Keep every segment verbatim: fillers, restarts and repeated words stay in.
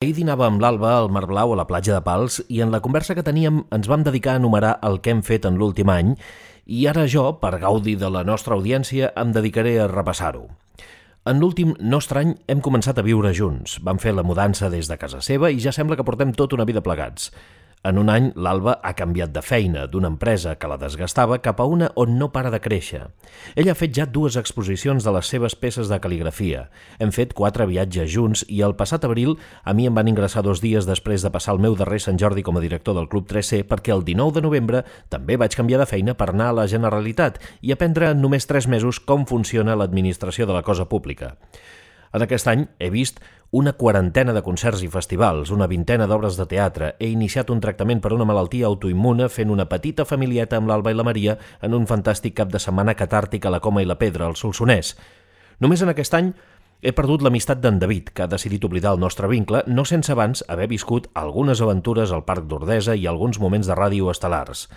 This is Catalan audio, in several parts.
Ahir dinava amb l'Alba al Mar Blau a la platja de Pals i en la conversa que teníem ens vam dedicar a enumerar el que hem fet en l'últim any i ara jo, per gaudi de la nostra audiència, em dedicaré a repassar-ho. En l'últim nostre any hem començat a viure junts, vam fer la mudança des de casa seva i ja sembla que portem tota una vida plegats. En un any, l'Alba ha canviat de feina, d'una empresa que la desgastava cap a una on no para de créixer. Ella ha fet ja dues exposicions de les seves peces de cal·ligrafia. Hem fet quatre viatges junts i el passat abril a mi em van ingressar dos dies després de passar el meu darrer Sant Jordi com a director del Club tres C perquè el dinou de novembre també vaig canviar de feina per anar a la Generalitat i aprendre en només tres mesos com funciona l'administració de la cosa pública. En aquest any he vist una quarantena de concerts i festivals, una vintena d'obres de teatre. He iniciat un tractament per una malaltia autoimmune fent una petita familieta amb l'Alba i la Maria en un fantàstic cap de setmana catàrtic a la Coma i la Pedra, al Solsonès. Només en aquest any he perdut l'amistat d'en David, que ha decidit oblidar el nostre vincle, no sense abans haver viscut algunes aventures al Parc d'Ordesa i alguns moments de ràdio estel·lars.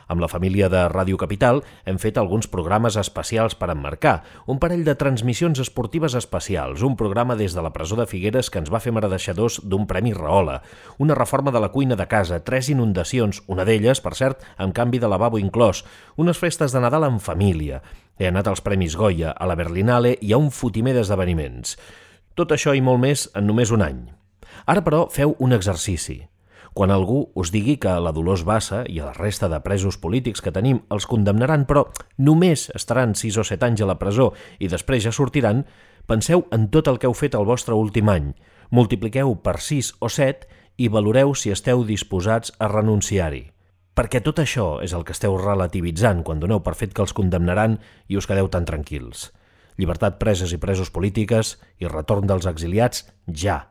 Amb la família de Ràdio Capital hem fet alguns programes especials per emmarcar, un parell de transmissions esportives especials, un programa des de la presó de Figueres que ens va fer mereixedors d'un Premi Rahola, una reforma de la cuina de casa, tres inundacions, una d'elles, per cert, amb canvi de lavabo inclòs, unes festes de Nadal en família. He anat als Premis Goya, a la Berlinale i a un fotimer d'esdeveniments. Tot això i molt més en només un any. Ara, però, feu un exercici. Quan algú us digui que a la Dolors Bassa i a la resta de presos polítics que tenim els condemnaran, però només estaran sis o set anys a la presó i després ja sortiran, penseu en tot el que heu fet el vostre últim any, multipliqueu per sis o set i valoreu si esteu disposats a renunciar-hi. Perquè tot això és el que esteu relativitzant quan doneu per fet que els condemnaran i us quedeu tan tranquils. Llibertat preses i presos polítiques i retorn dels exiliats ja.